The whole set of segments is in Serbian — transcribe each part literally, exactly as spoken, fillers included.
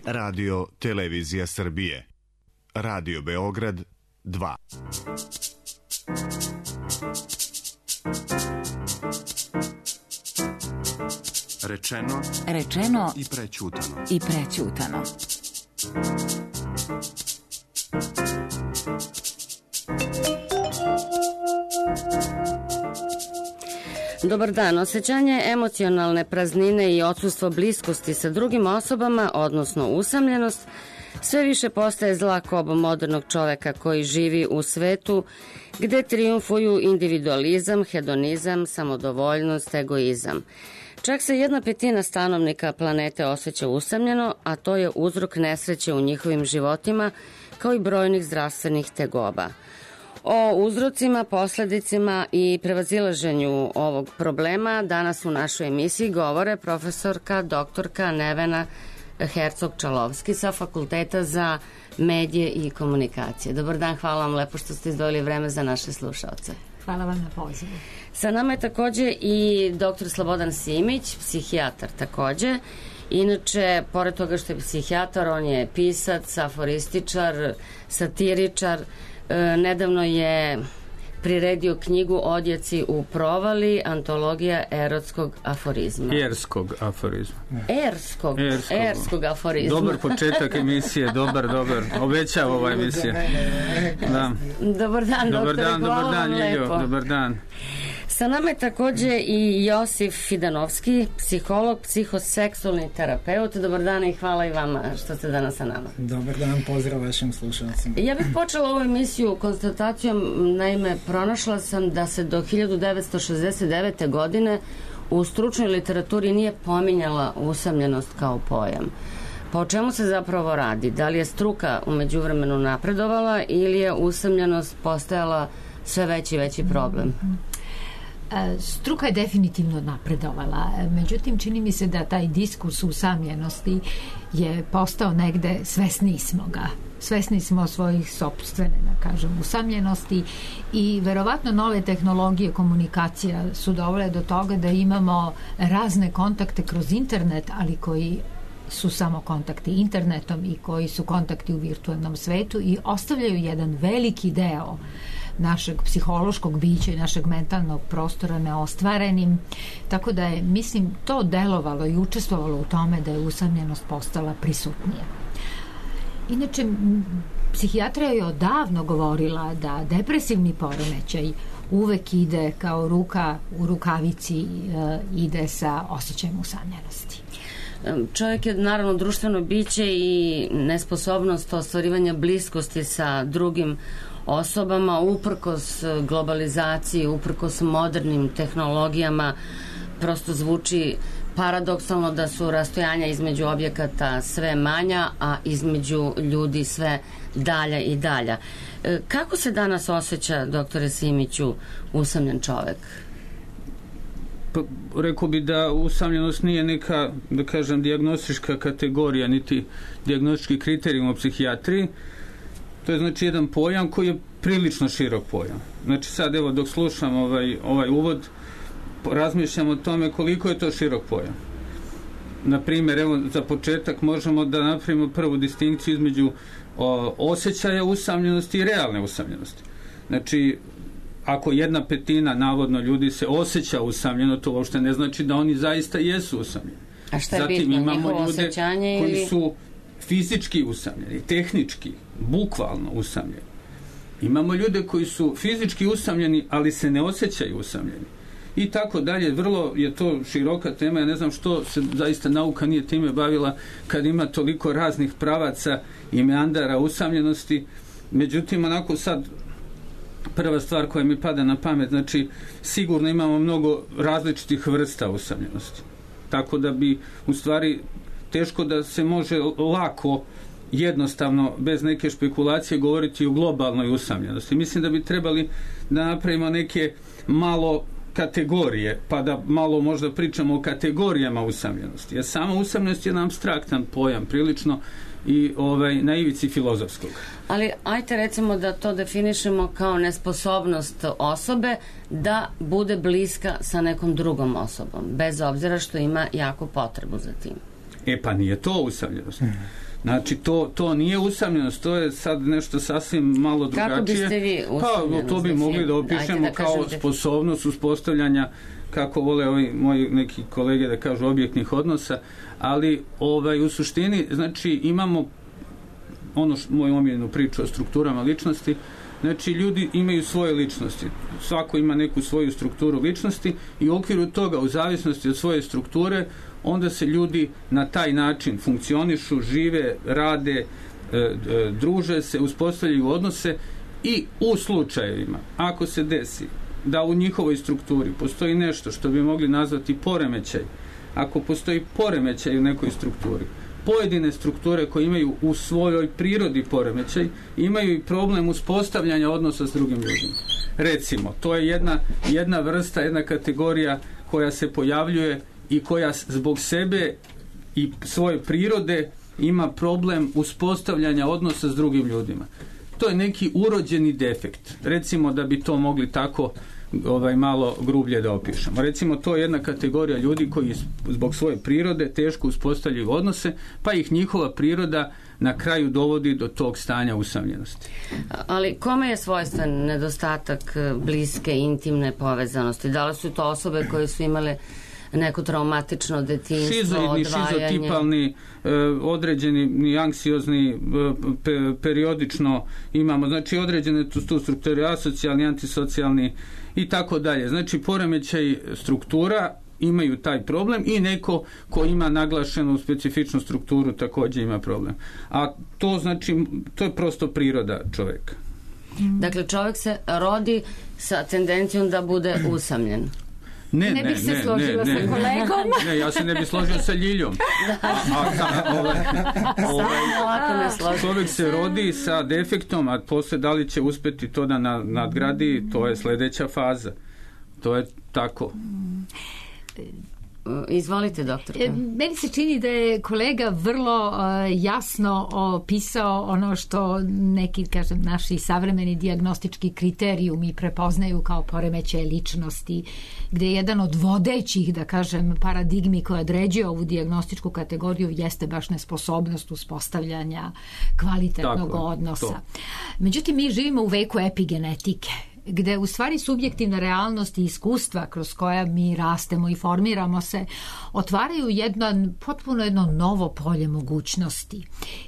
Radio Televizija Srbije. Radio Beograd dva. Rečeno, Rečeno i prećutano. I prećutano. Dobar dan. Osjećanje emocionalne praznine i odsustvo bliskosti sa drugim osobama, odnosno usamljenost, sve više postaje zla koba modernog čoveka koji živi u svetu gde trijumfuju individualizam, hedonizam, samodovoljnost, egoizam. Čak se jedna petina stanovnika planete osjeća usamljeno, a to je uzrok nesreće u njihovim životima, kao i brojnih zdravstvenih tegoba. O uzrocima, posledicima i prevazilaženju ovog problema danas u našoj emisiji govore profesorka doktorka Nevena Hercog-Čalovski sa Fakulteta za medije i komunikacije. Dobar dan, hvala vam lepo što ste izdvojili vreme za naše slušaoce. Hvala vam na pozivu. Sa nama je takođe i doktor Slobodan Simić, psihijatar takođe. Inače, pored toga što je psihijatar, on je pisac, aforističar, satiričar. E, nedavno je priredio knjigu Odjeci u provali, antologija erotskog aforizma. Erskog aforizma. Erskog, Erskog, erskog aforizma. Dobar početak emisije, dobar, dobar. Obećava ova emisija. Da. Dobar dan, dobar doktore, dan, hvala dobar dan, vam Ljiljo, lepo. dobar dan. Sa nama je takođe i Josif Fidanovski, psiholog, psihoseksualni terapeut. Dobar dan i hvala i vama što ste danas sa nama. Dobar dan, pozdrav vašim slušalcima. Ja bih počela ovu emisiju konstatacijom, naime, pronašla sam da se do hiljadu devetsto šezdeset devete. godine u stručnoj literaturi nije pominjala usamljenost kao pojam. Pa o čemu se zapravo radi? Da li je struka u međuvremenu napredovala ili je usamljenost postajala sve veći i veći problem? Struka je definitivno napredovala, međutim čini mi se da taj diskurs usamljenosti je postao negde, svesni smo ga, svesni smo svojih sopstvene, da kažem, usamljenosti i verovatno nove tehnologije komunikacija su dovele do toga da imamo razne kontakte kroz internet, ali koji su samo kontakti internetom i koji su kontakti u virtualnom svetu i ostavljaju jedan veliki deo našeg psihološkog bića i našeg mentalnog prostora neostvarenim, tako da je, mislim, to delovalo i učestvovalo u tome da je usamljenost postala prisutnija. Inače, psihijatrija je odavno govorila da depresivni poremećaj uvek ide kao ruka u rukavici, e, ide sa osjećajem usamljenosti. Čovjek je naravno društveno biće i nesposobnost ostvarivanja bliskosti sa drugim osobama, uprkos globalizaciji, uprkos modernim tehnologijama, prosto zvuči paradoksalno da su rastojanja između objekata sve manja, a između ljudi sve dalja i dalja. Kako se danas osjeća, doktore Simiću, usamljen čovek? Pa, rekao bi da usamljenost nije neka, da kažem, dijagnostička kategorija, niti dijagnostički kriterijum u psihijatriji. To je znači jedan pojam koji je prilično širok pojam. Znači sad evo dok slušam ovaj, ovaj uvod, razmišljam o tome koliko je to širok pojam. Naprimjer, evo za početak možemo da napravimo prvu distinkciju između o, osjećaja usamljenosti i realne usamljenosti. Znači, ako jedna petina navodno ljudi se osjeća usamljeno, to uopšte ne znači da oni zaista jesu usamljeni. A šta je Zatim bitno, imamo njihovo ljude osjećanje koji ili... su fizički usamljeni, tehnički, bukvalno usamljeni. Imamo ljude koji su fizički usamljeni, ali se ne osjećaju usamljeni. I tako dalje, vrlo je to široka tema, ja ne znam što se zaista nauka nije time bavila kad ima toliko raznih pravaca i meandara usamljenosti. Međutim, onako sad prva stvar koja mi pada na pamet, znači sigurno imamo mnogo različitih vrsta usamljenosti. Tako da bi u stvari teško da se može lako, jednostavno, bez neke špekulacije govoriti o globalnoj usamljenosti. Mislim da bi trebali da napravimo neke malo kategorije, pa da malo možda pričamo o kategorijama usamljenosti. Jer sama usamljenost je jedan apstraktan pojam, prilično i ovaj, na ivici filozofskog. Ali ajte recimo da to definišemo kao nesposobnost osobe da bude bliska sa nekom drugom osobom, bez obzira što ima jako potrebu za tim. E pa nije to usamljenost. Znači, to, to nije usamljenost, to je sad nešto sasvim malo drugačije. Kako biste vi usamljenost? Pa, to bi mogli da opišemo da kao kažete. Sposobnost uspostavljanja, kako vole ovi moji neki kolege da kažu, objektnih odnosa, ali ovaj, u suštini, znači, imamo ono što, moju omiljenu priču o strukturama ličnosti, znači, ljudi imaju svoje ličnosti. Svako ima neku svoju strukturu ličnosti i u okviru toga, u zavisnosti od svoje strukture, onda se ljudi na taj način funkcionišu, žive, rade, e, e, druže se, uspostavljaju odnose i u slučajevima, ako se desi da u njihovoj strukturi postoji nešto što bi mogli nazvati poremećaj, ako postoji poremećaj u nekoj strukturi, pojedine strukture koje imaju u svojoj prirodi poremećaj, imaju i problem uspostavljanja odnosa s drugim ljudima. Recimo, to je jedna, jedna vrsta, jedna kategorija koja se pojavljuje i koja zbog sebe i svoje prirode ima problem uspostavljanja odnosa s drugim ljudima. To je neki urođeni defekt. Recimo da bi to mogli tako ovaj malo grublje da opišemo. Recimo, to je jedna kategorija ljudi koji zbog svoje prirode teško uspostavljaju odnose, pa ih njihova priroda na kraju dovodi do tog stanja usamljenosti. Ali kome je svojstven nedostatak bliske, intimne povezanosti? Da li su to osobe koje su imale neko traumatično detinjstvo, šizoidni, odvajanje? šizotipalni, e, određeni, anksiozni, e, pe, periodično imamo, znači određene tu, tu strukture, asocijalni, antisocijalni i tako dalje. Znači, poremećaj struktura imaju taj problem i neko ko ima naglašenu specifičnu strukturu također ima problem. A to znači, to je prosto priroda čovjeka. Dakle, čovjek se rodi sa tendencijom da bude usamljen. Ne, ne, ne bih se ne, složila ne, sa ne, kolegom. Ne, ja se ne bih složio sa Ljiljom. A, a, ovaj, ovaj, čovjek se rodi sa defektom, a posle da li će uspjeti to da nadgradi, to je sljedeća faza. To je tako. Izvolite, doktorka. Meni se čini da je kolega vrlo uh, jasno opisao ono što neki, kažem, naši savremeni dijagnostički kriterijumi prepoznaju kao poremećaje ličnosti, gdje je jedan od vodećih, da kažem, paradigmi koja određuje ovu dijagnostičku kategoriju jeste baš nesposobnost uspostavljanja kvalitetnog Tako, odnosa. To. Međutim, mi živimo u veku epigenetike, gde u stvari subjektivna realnost i iskustva kroz koja mi rastemo i formiramo se otvaraju jedno, potpuno jedno novo polje mogućnosti.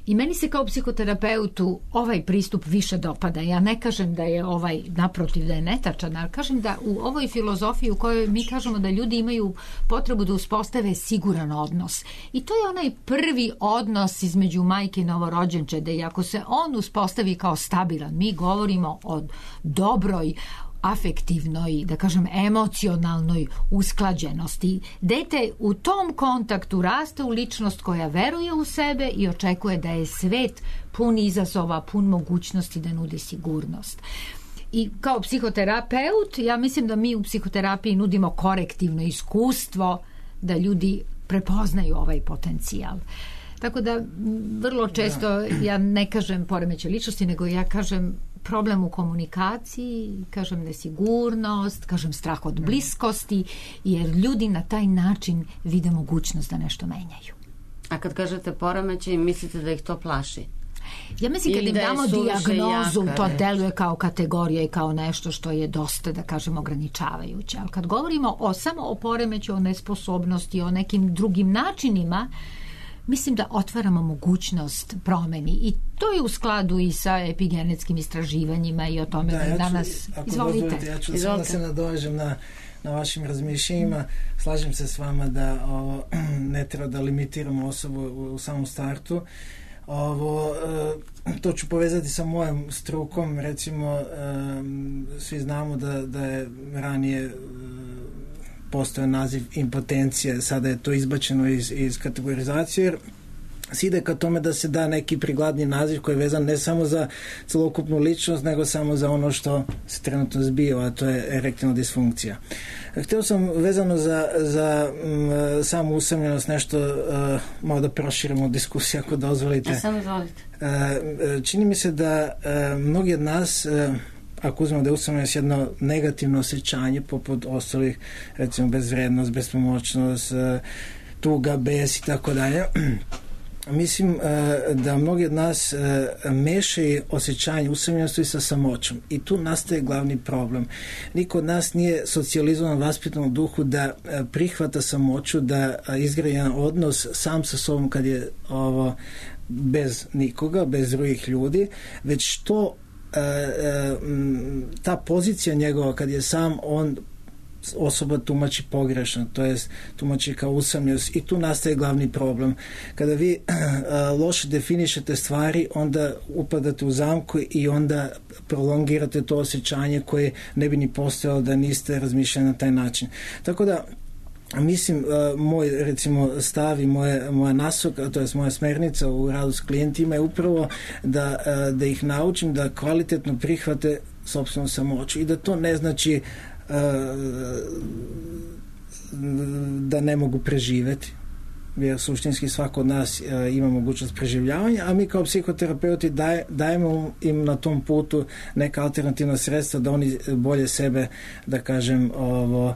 I meni se kao psihoterapeutu ovaj pristup više dopada. Ja ne kažem da je ovaj, naprotiv, da je netačan, ali kažem da u ovoj filozofiji u kojoj mi kažemo da ljudi imaju potrebu da uspostave siguran odnos. I to je onaj prvi odnos između majke i novorođenčede. I ako se on uspostavi kao stabilan, mi govorimo o dobroj afektivnoj, da kažem, emocionalnoj usklađenosti. Dete u tom kontaktu raste u ličnost koja veruje u sebe i očekuje da je svet pun izazova, pun mogućnosti da nudi sigurnost. I kao psihoterapeut, ja mislim da mi u psihoterapiji nudimo korektivno iskustvo da ljudi prepoznaju ovaj potencijal. Tako da vrlo često ja ne kažem poremećaj ličnosti, nego ja kažem problem u komunikaciji, kažem nesigurnost, kažem strah od bliskosti, jer ljudi na taj način vide mogućnost da nešto menjaju. A kad kažete poremećaj, mislite da ih to plaši? Ja mislim kad im damo dijagnozu, to deluje kao kategorija i kao nešto što je dosta, da kažem, ograničavajuće. Ali kad govorimo o, samo o poremeću, o nesposobnosti, o nekim drugim načinima, mislim da otvaramo mogućnost promeni i to je u skladu i sa epigenetskim istraživanjima i o tome da, da danas... Ću, ako Izvolite. dozvolite, ja ću Izvolite. samo da se nadovežem na, na vašim razmišljenjima. Slažem se s vama da ovo, ne treba da limitiramo osobu u, u samom startu. Ovo, to ću povezati sa mojom strukom. Recimo, svi znamo da, da je ranije postoje naziv impotencije, sada je to izbačeno iz, iz kategorizacije, jer se ide ka tome da se da neki prigladni naziv koji je vezan ne samo za celokupnu ličnost, nego samo za ono što se trenutno zbiva, a to je erektilna disfunkcija. Htio sam vezano za, za m, samu usamljenost nešto uh, malo da proširimo diskusiju, ako dozvolite. Ja, samo izvolite. Uh, čini mi se da uh, mnogi od nas uh, ako uzmemo da je usamljenost jedno negativno osjećanje poput ostalih, recimo bezvrednost, bespomoćnost, tuga, bes i tako dalje, mislim da mnogi od nas mešaju osjećanje usamljenosti sa samoćom i tu nastaje glavni problem. Niko od nas nije socijalizovan vaspitanom duhu da prihvata samoću, da izgradi jedan odnos sam sa sobom kad je ovo bez nikoga, bez drugih ljudi, već to ta pozicija njegova kad je sam, on osoba tumači pogrešno, to jest tumači kao usamljenost i tu nastaje glavni problem. Kada vi uh, loše definišete stvari, onda upadate u zamku i onda prolongirate to osjećanje koje ne bi ni postojalo da niste razmišljali na taj način. Tako da mislim, uh, moj recimo stav i moje, moja nasok, to je moja smernica u radu s klijentima je upravo da, uh, da ih naučim da kvalitetno prihvate sopstvenu samoću i da to ne znači da ne mogu preživjeti, jer suštinski svako od nas ima mogućnost preživljavanja, a mi kao psihoterapeuti daj, dajemo im na tom putu neka alternativna sredstva da oni bolje sebe, da kažem, ovo,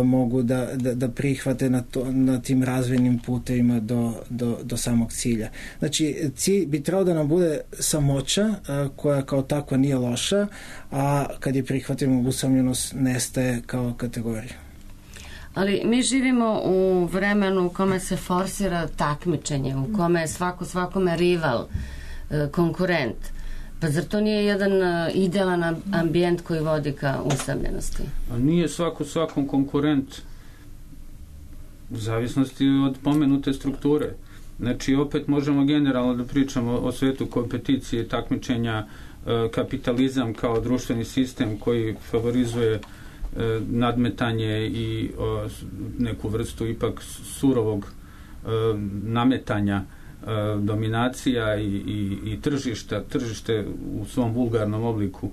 mogu da, da, da prihvate na, to, na tim razvojnim putevima do, do, do samog cilja. Znači, cilj bi trebao da nam bude samoća, koja kao takva nije loša, a kad je prihvatimo, usamljenost nestaje kao kategorija. Ali mi živimo u vremenu u kome se forsira takmičenje, u kome je svako svakome rival, konkurent. Pa zar to nije jedan idealan ambijent koji vodi ka usamljenosti? A nije svako svakom konkurent u zavisnosti od pomenute strukture. Znači, opet možemo generalno da pričamo o svetu kompeticije, takmičenja, kapitalizam kao društveni sistem koji favorizuje nadmetanje i o, neku vrstu ipak surovog e, nametanja, e, dominacija i, i, i tržišta, tržište u svom vulgarnom obliku,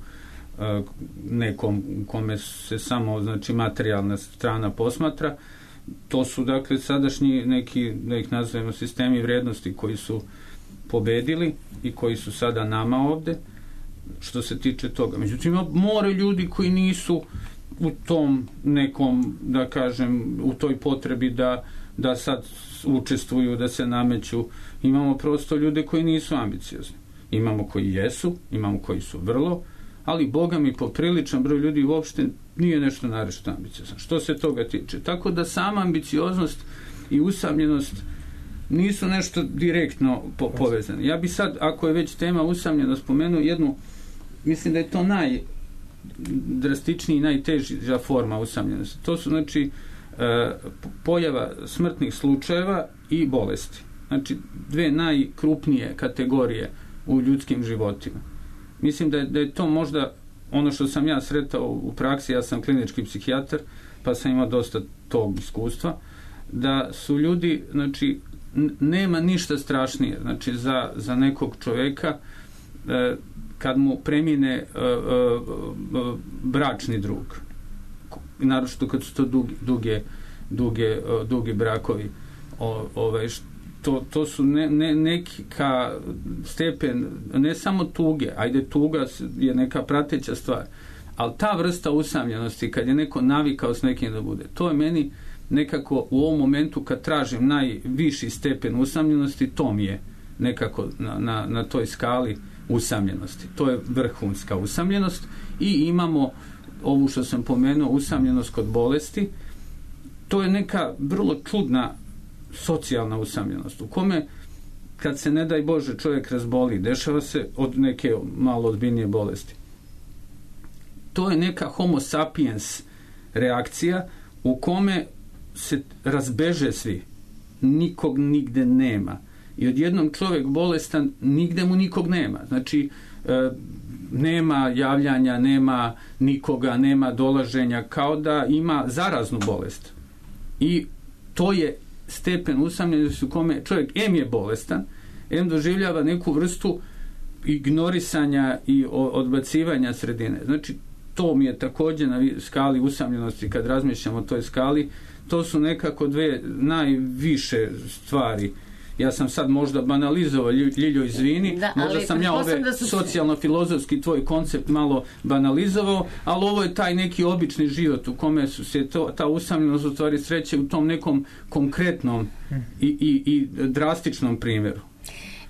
e, nekom kome se samo, znači, materijalna strana posmatra. To su, dakle, sadašnji neki, da ih nazovemo, sistemi vrijednosti koji su pobedili i koji su sada nama ovde što se tiče toga. Međutim, more ljudi koji nisu u tom nekom, da kažem, u toj potrebi da, da sad učestvuju, da se nameću. Imamo prosto ljude koji nisu ambiciozni. Imamo koji jesu, imamo koji su vrlo, ali Boga mi popriličan broj ljudi uopšte nije nešto narešto ambiciozan. Što se toga tiče? Tako da sama ambicioznost i usamljenost nisu nešto direktno po- povezane. Ja bi sad, ako je već tema usamljenost, spomenuo jednu, mislim da je to naj drastičniji i najteža forma usamljenosti. To su, znači, pojava smrtnih slučajeva i bolesti. Znači, dve najkrupnije kategorije u ljudskim životima. Mislim da je, da je to možda ono što sam ja sretao u praksi, ja sam klinički psihijatar, pa sam imao dosta tog iskustva, da su ljudi, znači, nema ništa strašnije, znači, za, za nekog čoveka e, kad mu premine uh, uh, uh, bračni drug, naročito kad su to duge, duge, duge, uh, dugi brakovi, o, ovaj, to, to su ne, ne, neka stepen, ne samo tuge, ajde, tuga je neka prateća stvar, ali ta vrsta usamljenosti, kad je neko navikao s nekim da bude, to je meni nekako u ovom momentu kad tražim najviši stepen usamljenosti, to mi je nekako na, na, na toj skali usamljenosti. To je vrhunska usamljenost i imamo ovu što sam pomenuo, usamljenost kod bolesti. To je neka vrlo čudna socijalna usamljenost u kome kad se, ne daj Bože, čovjek razboli, dešava se od neke malo ozbiljnije bolesti. To je neka homo sapiens reakcija u kome se razbeže svi. Nikog nigde nema. I odjednom čovjek bolestan, nigde mu nikog nema. Znači, e, nema javljanja, nema nikoga, nema dolaženja, kao da ima zaraznu bolest. I to je stepen usamljenosti u kome čovjek em je bolestan, em doživljava neku vrstu ignorisanja i odbacivanja sredine. Znači, to mi je također na skali usamljenosti, kad razmišljamo o toj skali, to su nekako dve najviše stvari. Ja sam sad možda banalizovao, Ljiljo, izvini, da, možda sam ja ove da su... socijalno-filozofski tvoj koncept malo banalizovao, ali ovo je taj neki obični život u kome su se to, ta usamljenost u stvari sreće u tom nekom konkretnom i, i, i drastičnom primjeru.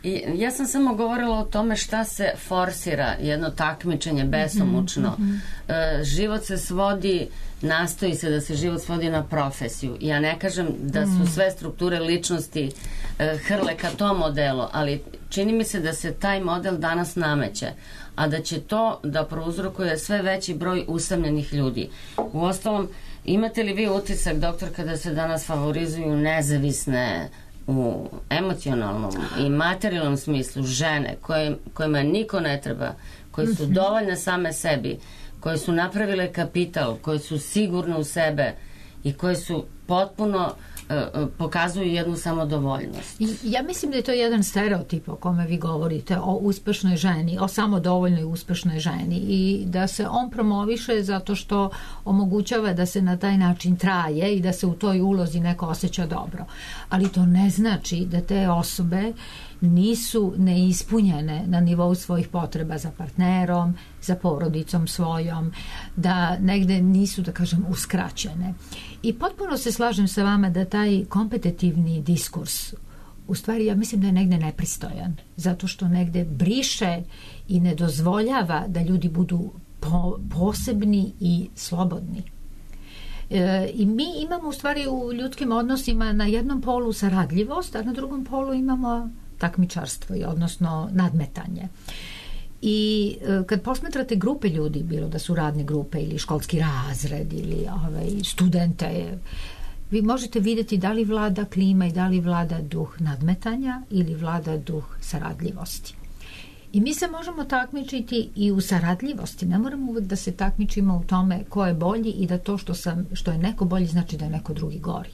I ja sam samo govorila o tome šta se forsira, jedno takmičenje besomučno. Mm-hmm. E, život se svodi, nastoji se da se život svodi na profesiju. Ja ne kažem da su sve strukture ličnosti e, hrle ka tom modelu, ali čini mi se da se taj model danas nameće, a da će to da prouzrokuje sve veći broj usamljenih ljudi. Uostalom, imate li vi utisak, doktor, kada se danas favorizuju nezavisne u emocionalnom i materijalnom smislu žene koje, kojima niko ne treba, koje su dovoljne same sebi, koje su napravile kapital, koje su sigurne u sebe i koje su potpuno pokazuju jednu samodovoljnost. Ja mislim da je to jedan stereotip o kome vi govorite, o uspešnoj ženi, o samodovoljnoj uspešnoj ženi, i da se on promoviše zato što omogućava da se na taj način traje i da se u toj ulozi neko osjeća dobro. Ali to ne znači da te osobe nisu neispunjene na nivou svojih potreba za partnerom, za porodicom svojom, da negde nisu, da kažem, uskraćene. I potpuno se slažem sa vama da taj kompetitivni diskurs, u stvari ja mislim da je negde nepristojan, zato što negde briše i ne dozvoljava da ljudi budu po, posebni i slobodni. E, I mi imamo u stvari u ljudskim odnosima na jednom polu saradljivost, a na drugom polu imamo takmičarstvo, odnosno nadmetanje. I e, kad posmetrate grupe ljudi, bilo da su radne grupe ili školski razred ili ovaj, studente, vi možete vidjeti da li vlada klima i da li vlada duh nadmetanja ili vlada duh saradljivosti. I mi se možemo takmičiti i u saradljivosti. Ne moramo uvek da se takmičimo u tome ko je bolji i da to što, sam, što je neko bolji znači da je neko drugi gori.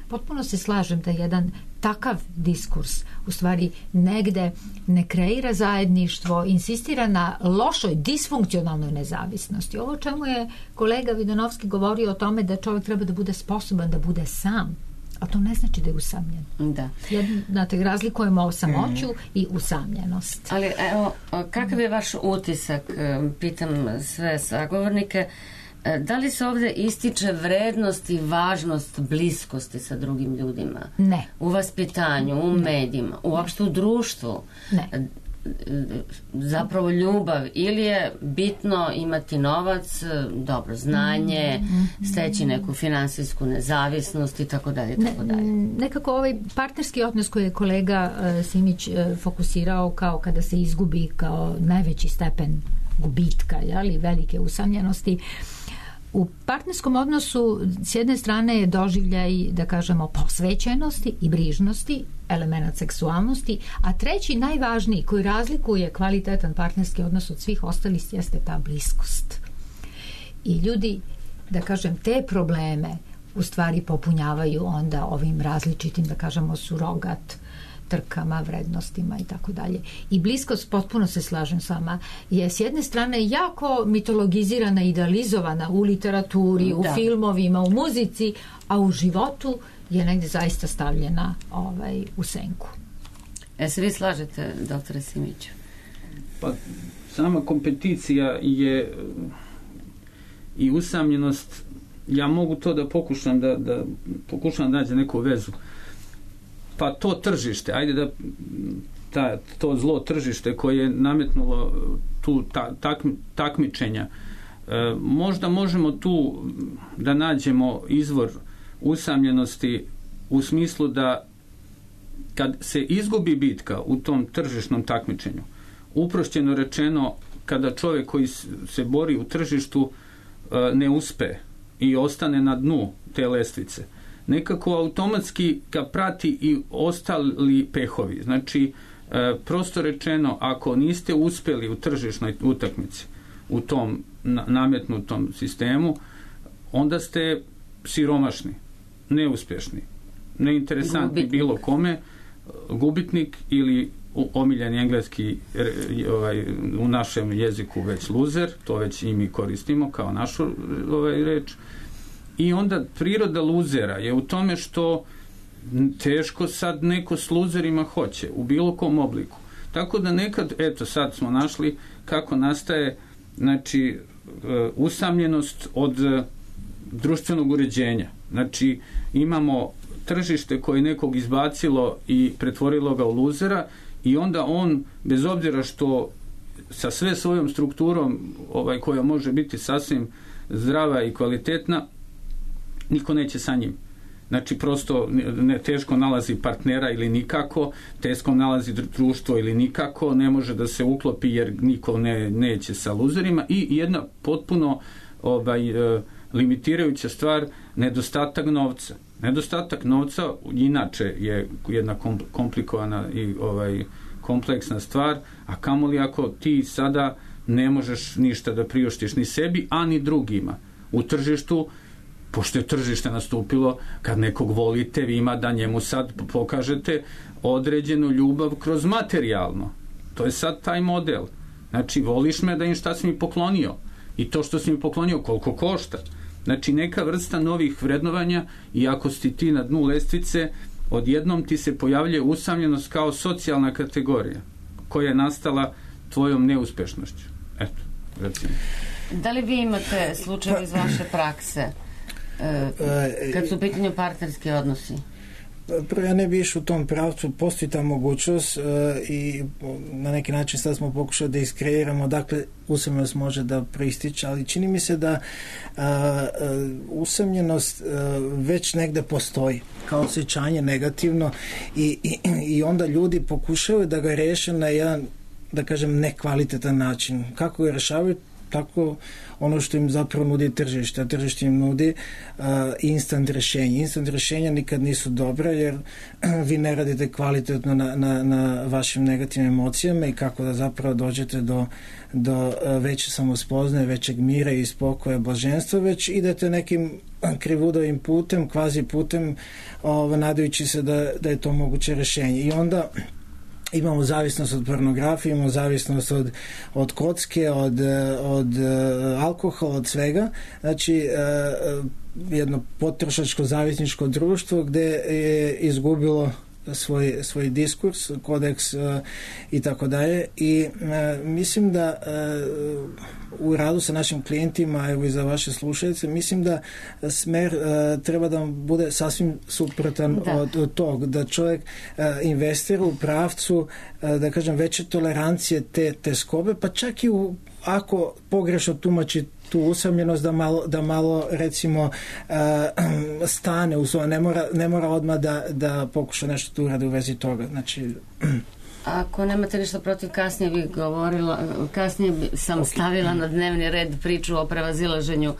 Potpuno se slažem da jedan takav diskurs u stvari negde ne kreira zajedništvo, insistira na lošoj, disfunkcionalnoj nezavisnosti. Ovo čemu je kolega Vidanovski govorio o tome da čovjek treba da bude sposoban da bude sam, a to ne znači da je usamljen. Da. Znate, razlikujemo samoću mm. i usamljenost. Ali evo, kakav je vaš utisak, pitam sve sagovornike, da li se ovdje ističe vrednost i važnost bliskosti sa drugim ljudima? Ne. U vaspitanju, u medijima, uopšte u društvu? Ne. Zapravo ljubav, ili je bitno imati novac, dobro znanje, steći neku finansijsku nezavisnost i tako dalje, tako dalje. Nekako ovaj partnerski odnos koji je kolega uh, Simić uh, fokusirao kao kada se izgubi kao najveći stepen gubitka, jeli, velike usamljenosti. U partnerskom odnosu s jedne strane je doživljaj, da kažemo, posvećenosti i brižnosti, element seksualnosti, a treći, najvažniji, koji razlikuje kvalitetan partnerski odnos od svih ostalih, jeste ta bliskost. I ljudi, da kažem, te probleme u stvari popunjavaju onda ovim različitim, da kažemo, surogat trkama, vrednostima i tako dalje. I bliskost, potpuno se slažem s vama, je s jedne strane jako mitologizirana, idealizovana u literaturi, u da. filmovima, u muzici, a u životu je negdje zaista stavljena ovaj, u senku. E se vi slažete, doktore Simiću? Pa, sama kompeticija je i usamljenost, ja mogu to da pokušam da, da pokušam da nađe neku vezu. Pa to tržište, ajde da ta, to zlo tržište koje je nametnulo tu ta, tak, takmičenja, e, možda možemo tu da nađemo izvor usamljenosti u smislu da kad se izgubi bitka u tom tržišnom takmičenju, uprošćeno rečeno, kada čovjek koji se bori u tržištu e, ne uspe i ostane na dnu te lestvice, nekako automatski ga prati i ostali pehovi. Znači, e, prosto rečeno, ako niste uspjeli u tržišnoj utakmici, u tom na, nametnutom sistemu, onda ste siromašni, neuspješni, neinteresantni gubitnik. Bilo kome, gubitnik ili omiljeni engleski ovaj, u našem jeziku već loser, to već i mi koristimo kao našu ovaj, reč. I onda priroda luzera je u tome što teško sad neko s luzerima hoće, u bilo kom obliku. Tako da nekad, eto sad smo našli kako nastaje, znači, usamljenost od društvenog uređenja. Znači, imamo tržište koje nekog izbacilo i pretvorilo ga u luzera i onda on, bez obzira što sa sve svojom strukturom ovaj, koja može biti sasvim zdrava i kvalitetna, niko neće sa njim. Znači, prosto ne, teško nalazi partnera ili nikako, teško nalazi društvo ili nikako, ne može da se uklopi jer niko ne, neće sa luzerima i jedna potpuno ovaj, e, limitirajuća stvar, nedostatak novca. Nedostatak novca inače je jedna komplikovana i ovaj, kompleksna stvar, a kamoli ako ti sada ne možeš ništa da priuštiš ni sebi, a ni drugima. U tržištu, pošto je tržište nastupilo, kad nekog volite, vi ima da njemu sad pokažete određenu ljubav kroz materijalno. To je sad taj model. Znači, voliš me da im šta si mi poklonio. I to što si mi poklonio, koliko košta. Znači, neka vrsta novih vrednovanja i ako si ti na dnu lestvice, odjednom ti se pojavljuje usamljenost kao socijalna kategorija koja je nastala tvojom neuspešnošću. Eto, recimo. Da li vi imate slučaj iz vaše prakse kad su u pitanju partnerski odnosi? Prvo, ja ne bi išao u tom pravcu, postoji ta mogućnost uh, i na neki način sad smo pokušali da iskreiramo dakle usamljenost može da proističe, ali čini mi se da uh, uh, usamljenost uh, već negde postoji kao osjećanje negativno i, i, i onda ljudi pokušaju da ga reše na jedan, da kažem, nekvalitetan način. Kako ga rešavaju? Tako ono što im zapravo nudi tržište, a tržište im nudi uh, instant rešenje. Instant rešenja nikad nisu dobra jer vi ne radite kvalitetno na, na, na vašim negativnim emocijama i kako da zapravo dođete do, do uh, veće samospoznaje, većeg mira i spokoja, blaženstva, već idete nekim krivudovim putem, kvazi putem, uh, nadajući se da, da je to moguće rešenje. I onda imamo zavisnost od pornografije, imamo zavisnost od, od kocke, od, od uh, alkohola, od svega. Znači, uh, jedno potrošačko zavisničko društvo gde je izgubilo svoj, svoj diskurs, kodeks uh, i tako dalje. I uh, mislim da uh, u radu sa našim klijentima, evo i za vaše slušalice, mislim da smer uh, treba da bude sasvim suprotan da. Od, od tog, da čovjek uh, investira u pravcu, uh, da kažem, veće tolerancije te, te skobe, pa čak i u, ako pogrešno tumači tu usamljenost, da malo, da malo recimo uh, stane u svoje, ne mora, ne mora odmah da, da pokuša nešto tu uradi u vezi toga. Znači... Ako nemate ništa protiv, kasnije bih govorila, kasnije sam okay. stavila na dnevni red priču o prevazilaženju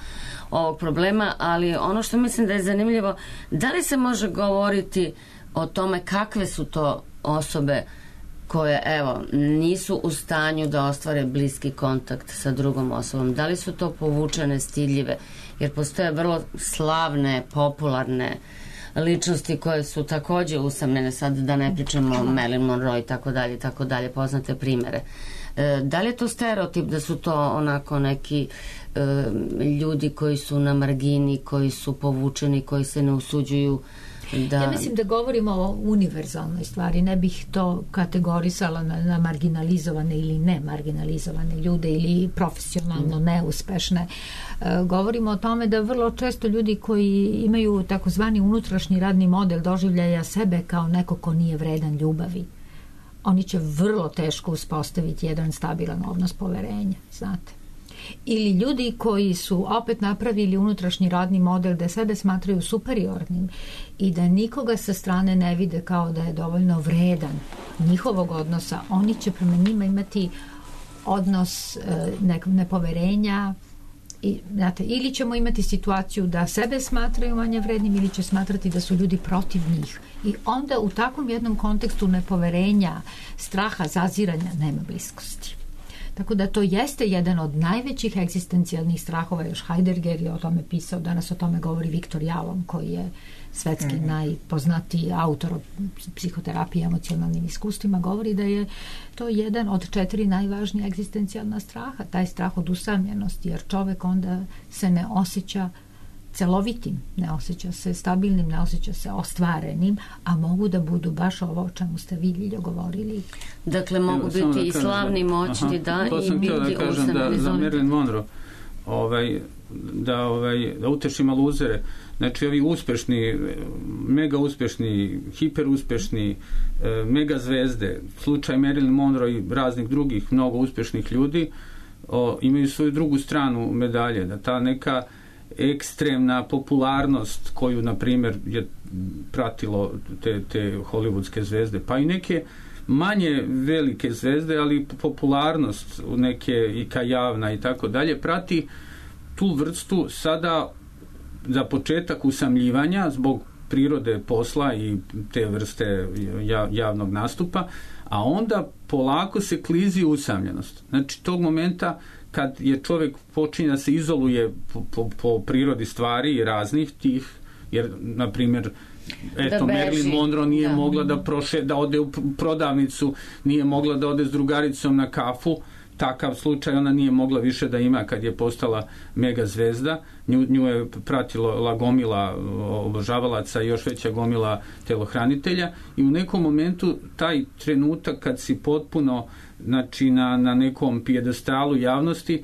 ovog problema, ali ono što mislim da je zanimljivo, da li se može govoriti o tome kakve su to osobe koje, evo, nisu u stanju da ostvare bliski kontakt sa drugom osobom. Da li su to povučene, stidljive? Jer postoje vrlo slavne, popularne ličnosti koje su takođe usamljene, sad da ne pričamo o Marilyn Monroe i tako dalje, tako dalje, poznate primere. E, da li je to stereotip da su to onako neki e, ljudi koji su na margini, koji su povučeni, koji se ne usuđuju da... Ja mislim da govorimo o univerzalnoj stvari, ne bih to kategorisala na, na marginalizovane ili ne marginalizovane ljude ili profesionalno mm. neuspešne. E, govorimo o tome da vrlo često ljudi koji imaju takozvani unutrašnji radni model doživljaja sebe kao neko ko nije vredan ljubavi, oni će vrlo teško uspostaviti jedan stabilan odnos poverenja, znate. Ili ljudi koji su opet napravili unutrašnji radni model da sebe smatraju superiornim i da nikoga sa strane ne vide kao da je dovoljno vredan njihovog odnosa, oni će prema njima imati odnos ne, nepoverenja i, znate, ili ćemo imati situaciju da sebe smatraju manje vrednim ili će smatrati da su ljudi protiv njih i onda u takvom jednom kontekstu nepoverenja, straha, zaziranja nema bliskosti. Tako da to jeste jedan od najvećih egzistencijalnih strahova, još Heidegger je o tome pisao, danas o tome govori Viktor Jalom, koji je svetski mm-hmm. najpoznatiji autor o psihoterapiji i emocionalnim iskustvima, govori da je to jedan od četiri najvažnija egzistencijalna straha, taj strah od usamljenosti, jer čovek onda se ne osjeća celovitim, ne osjeća se stabilnim, ne osjeća se ostvarenim, a mogu da budu baš ovo o čemu ste vi, Ljiljo, govorili. Dakle, mogu Evo, biti da i slavni, moćni, da, to i sam biti da kažem da, za Marilyn Monroe ovaj, da, ovaj, da uteši malo uzere. Znači, ovi uspešni, mega uspešni, hiper uspešni, mega zvezde, slučaj Marilyn Monroe i raznih drugih mnogo uspešnih ljudi, o, imaju svoju drugu stranu medalje, da ta neka ekstremna popularnost koju, na primjer, je pratilo te, te hollywoodske zvezde, pa i neke manje velike zvezde, ali popularnost neke i javna i tako dalje, prati tu vrstu sada za početak usamljivanja zbog prirode posla i te vrste javnog nastupa, a onda polako se klizi usamljenost. Znači, tog momenta kad je čovjek počinje da se izoluje po, po, po prirodi stvari i raznih tih, jer, na primjer, eto, Marilyn Monroe nije da. mogla da proše, da ode u prodavnicu, nije mogla da ode s drugaricom na kafu, takav slučaj ona nije mogla više da ima kad je postala mega zvezda. Nju, nju je pratilo la gomila obožavalaca i još veća gomila telohranitelja i u nekom momentu taj trenutak kad si potpuno, znači, na, na nekom pijedestalu javnosti,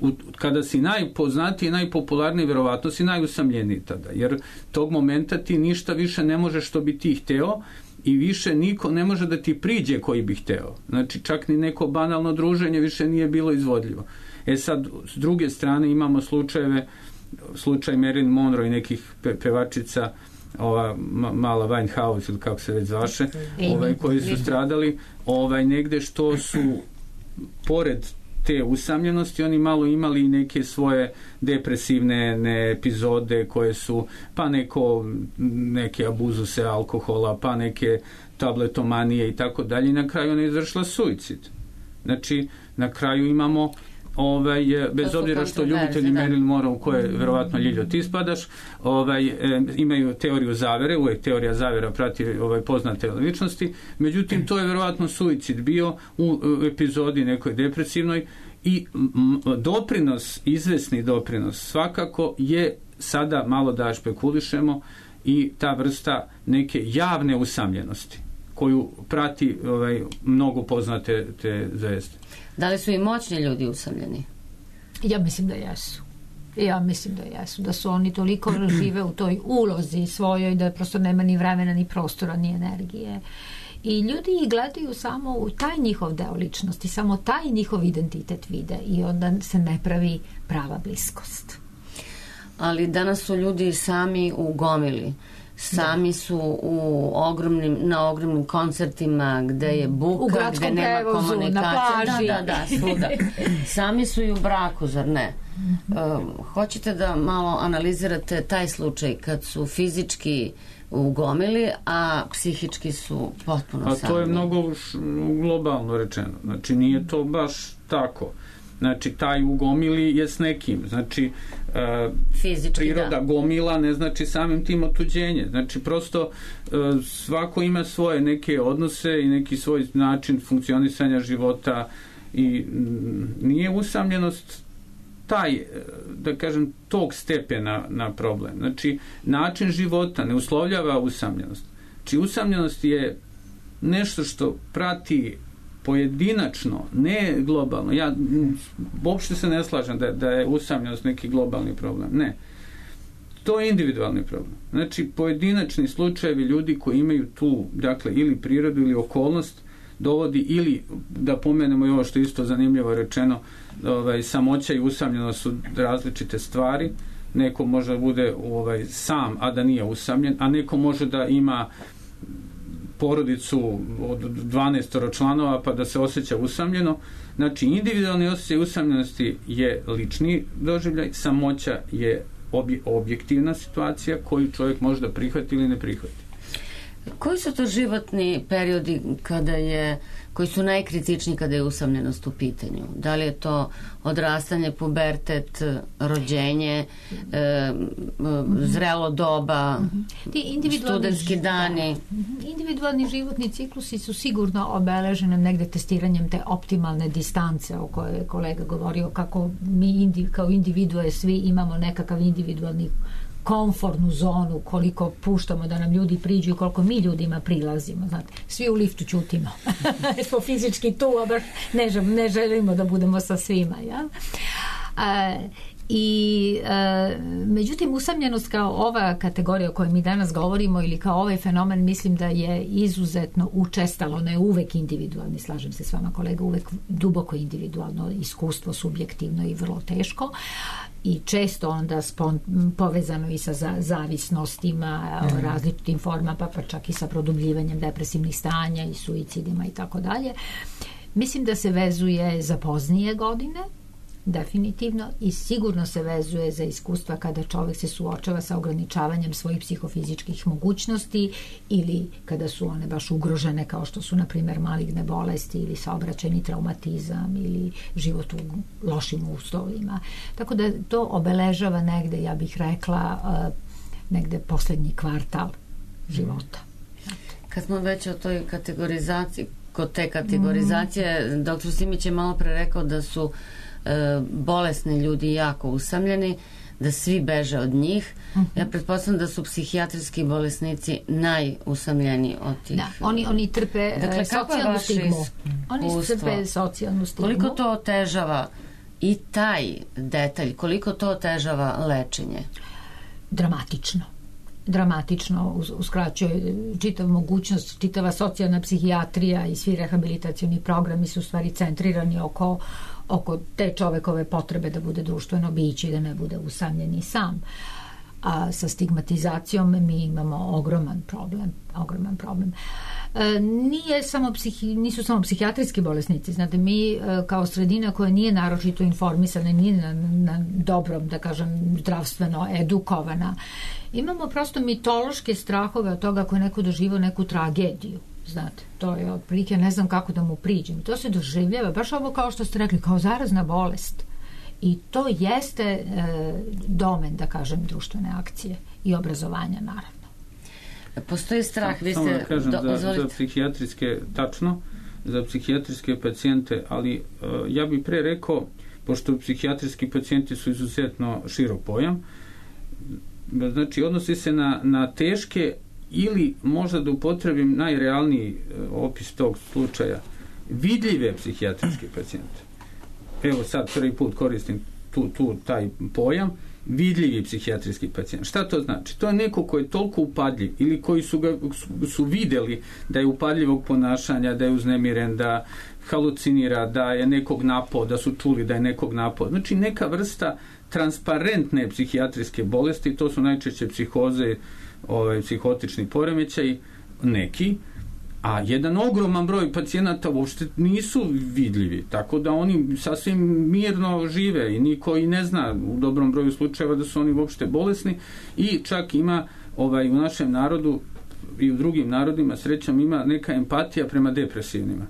u, kada si najpoznatiji, najpopularniji, verovatno si najusamljeniji tada, jer tog momenta ti ništa više ne možeš što bi ti hteo i više niko ne može da ti priđe koji bi hteo. Znači, čak ni neko banalno druženje više nije bilo izvodljivo. E sad, s druge strane imamo slučajeve, slučaj Marilyn Monroe i nekih pe, pevačica, ova mala Winehouse ili kako se već zvaše, ovaj, koji su stradali ovaj, negde što su pored te usamljenosti oni malo imali neke svoje depresivne ne, epizode koje su pa neko neke abuzuse alkohola, pa neke tabletomanije i tako dalje i na kraju ona je izvršila suicid. Znači, na kraju imamo ovaj, bez obzira što ljubitelji Marilyn Monroe u koje verovatno Ljiljo ti spadaš, ovaj, e, imaju teoriju zavere, uvijek teorija zavera prati ovaj, poznate ličnosti, međutim to je verovatno suicid bio u, u epizodi nekoj depresivnoj i m, doprinos, izvesni doprinos svakako je sada malo da špekulišemo i ta vrsta neke javne usamljenosti koju prati ovaj, mnogo poznate te zvezde. Da li su i moćni ljudi usamljeni? Ja mislim da jesu. Ja mislim da jesu. Da su oni toliko žive u toj ulozi svojoj da prosto nema ni vremena, ni prostora, ni energije. I ljudi ih gledaju samo u taj njihov deo ličnosti, samo taj njihov identitet vide i onda se ne pravi prava bliskost. Ali danas su ljudi sami u gomili. Sami su u ogromnim, na ogromnim koncertima gde je buka, gde nema prevozu, komunikacije. Da, da, da, svuda. Sami su i u braku, zar ne? Uh, hoćete da malo analizirate taj slučaj kad su fizički u gomili, a psihički su potpuno sami? A to je mnogo š, globalno rečeno. Znači, nije to baš tako. Znači, taj u gomili je s nekim. Znači, uh, fizički, priroda da. Gomila ne znači samim tim otuđenje. Znači, prosto uh, svako ima svoje neke odnose i neki svoj način funkcionisanja života i m, nije usamljenost taj, da kažem, tog stepena na problem. Znači, način života ne uslovljava usamljenost. Znači, usamljenost je nešto što prati pojedinačno, ne globalno. Ja uopšte se ne slažem da, da je usamljenost neki globalni problem. Ne. To je individualni problem. Znači, pojedinačni slučajevi ljudi koji imaju tu, dakle, ili prirodu ili okolnost dovodi, ili, da pomenemo i ovo što isto zanimljivo rečeno, ovaj, samoća i usamljenost su različite stvari. Neko može da bude ovaj, sam, a da nije usamljen, a neko može da ima porodicu od dvanaest članova pa da se osjeća usamljeno. Znači, individualni osjećaj usamljenosti je lični doživljaj, samoća je obje, objektivna situacija koju čovjek može da prihvati ili ne prihvati. Koji su to životni periodi kada je, koji su najkritičniji kada je usamljenost u pitanju? Da li je to odrastanje, pubertet, rođenje, e, zrelo doba, studentski dani? Da. Individualni životni ciklusi su sigurno obeleženi negde testiranjem te optimalne distance o kojoj je kolega govorio, kako mi indi, kao individue svi imamo nekakav individualni komfortnu zonu, koliko puštamo da nam ljudi priđu i koliko mi ljudima prilazimo. Znate, svi u liftu ćutimo. Smo fizički tu, a baš ne, ne želimo da budemo sa svima. Ja? A, I e, međutim usamljenost kao ova kategorija o kojoj mi danas govorimo ili kao ovaj fenomen, mislim da je izuzetno učestalo, ne uvek individualni, slažem se s vama kolega, uvek duboko individualno iskustvo, subjektivno i vrlo teško i često onda spon, povezano i sa za, zavisnostima, mm. različitim formama, pa, pa čak i sa produbljivanjem depresivnih stanja i suicidima i tako dalje. Mislim da se vezuje za poznije godine, definitivno, i sigurno se vezuje za iskustva kada čovjek se suočava sa ograničavanjem svojih psihofizičkih mogućnosti ili kada su one baš ugrožene, kao što su na primjer maligne bolesti ili saobraćajni traumatizam ili život u lošim uslovima. Tako da to obeležava negde, ja bih rekla, negde posljednji kvartal života. Kad smo već o toj kategorizaciji, kod te kategorizacije, mm. doktor Simić je malo pre rekao da su bolesni ljudi jako usamljeni, da svi beže od njih. Uh-huh. Ja pretpostavljam da su psihijatrijski bolesnici najusamljeniji od tih. Da, oni, oni trpe dakle, socijalnu stigmu. Oni trpe socijalnu stigmu. Koliko to otežava i taj detalj, koliko to otežava lečenje? Dramatično. Dramatično uskraćuje čitav mogućnost, čitava socijalna psihijatrija i svi rehabilitacioni programi su u stvari centrirani oko oko te čovekove potrebe da bude društveno biće i da ne bude usamljen i sam. A sa stigmatizacijom mi imamo ogroman problem. Ogroman problem. E, nije samo psihi, nisu samo psihijatrijski bolesnici. Znate, mi e, kao sredina koja nije naročito informisana, nije na, na dobrom, da kažem, zdravstveno edukovana, imamo prosto mitološke strahove od toga ako je neko doživao neku tragediju. Znate, to je otprilike, ne znam kako da mu priđem. To se doživljava, baš ovo kao što ste rekli, kao zarazna bolest. I to jeste e, domen, da kažem, društvene akcije i obrazovanja, naravno. Postoji strah, vi ste... Samo da kažem, do, za, za psihijatrijske, tačno, za psihijatrijske pacijente, ali uh, ja bih pre rekao, pošto psihijatrijski pacijenti su izuzetno širok pojam, znači odnosi se na, na teške ili možda da upotrebim najrealniji opis tog slučaja, vidljive psihijatrijske pacijente. Evo sad prvi put koristim tu, tu taj pojam, vidljivi psihijatrijski pacijent. Šta to znači? To je neko koji je toliko upadljiv ili koji su ga su, su videli da je upadljivog ponašanja, da je uznemiren, da halucinira, da je nekog napao, da su čuli da je nekog napao. Znači neka vrsta transparentne psihijatrijske bolesti, to su najčešće psihoze, ovaj, psihotični poremećaj, neki, a jedan ogroman broj pacijenata uopšte nisu vidljivi, tako da oni sasvim mirno žive i niko i ne zna u dobrom broju slučajeva da su oni uopšte bolesni i čak ima ovaj, u našem narodu i u drugim narodima srećom ima neka empatija prema depresivnima.